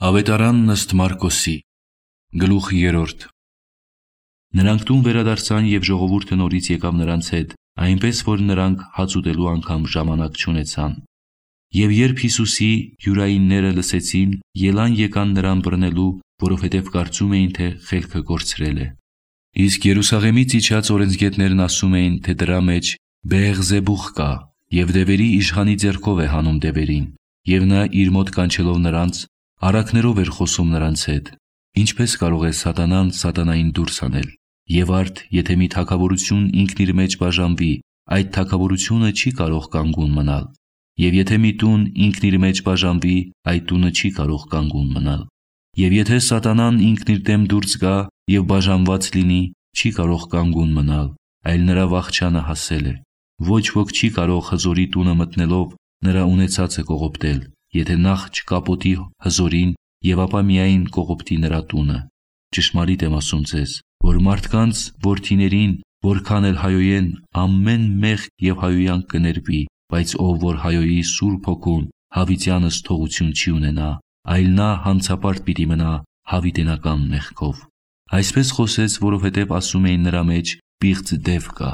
Ավետարանն ըստ Մարկոսի, գլուխ 3։ Նրանք տուն վերադարձան և ժողովուրդը նորից եկավ նրանց հետ, այնպես որ նրանք հաց ուտելու անգամ ժամանակ չունեցան։ Եվ երբ Հիսուսի հյուրայինները լսեցին, ելան եկան նրան բռնելու, որովհետև կարծում էին, թե խելքը կորցրել է։ Իսկ Երուսաղեմից իջած օրենսգետներն ասում էին, թե դրա մեջ Բեեղզեբուղ կա, և դևերի իշխանի ձեռքով է հանում դևերին, և նա իր մոտ կանչելով նրանց, առակներով էր խոսում նրանց հետ։ Ինչպես կարող է սատանան սատանային դուրս հանել։ Եվ արդ, եթե մի թագավորություն ինքն իր մեջ բաժանվի, այդ թագավորությունը չի կարող կանգուն մնալ։ Եվ եթե մի տուն ինքն իր մեջ բաժանվի, այդ տունը չի կարող կանգուն մնալ։ Եվ եթե սատանան ինքն իր դեմ դուրս գա և բաժանված լինի, չի կարող կանգուն մնալ, այլ նրա վախճանը հասել է։ Ոչ ոք չի կարող հզորի տունը մտնելով նրա ունեցածը կողոպտել, եթե նախ չկապոտի հզորին և ապա միայն կողոպտի նրա տունը։ Ճշմարիտ եմ ասում ձեզ, որ մարդկանց որդիներին, որքան էլ հայոյեն, ամեն մեղք և հայոյանք կներվի, բայց ով որ հայոյի Սուրբ Հոգուն, հավիտյանս թողություն չի ունենա, այլ նա հանցապարտ պիտի մնա հավիտենական մեղքով։ Այսպես խոսեց, որովհետև ասում էին նրա մեջ պիղծ դև կա։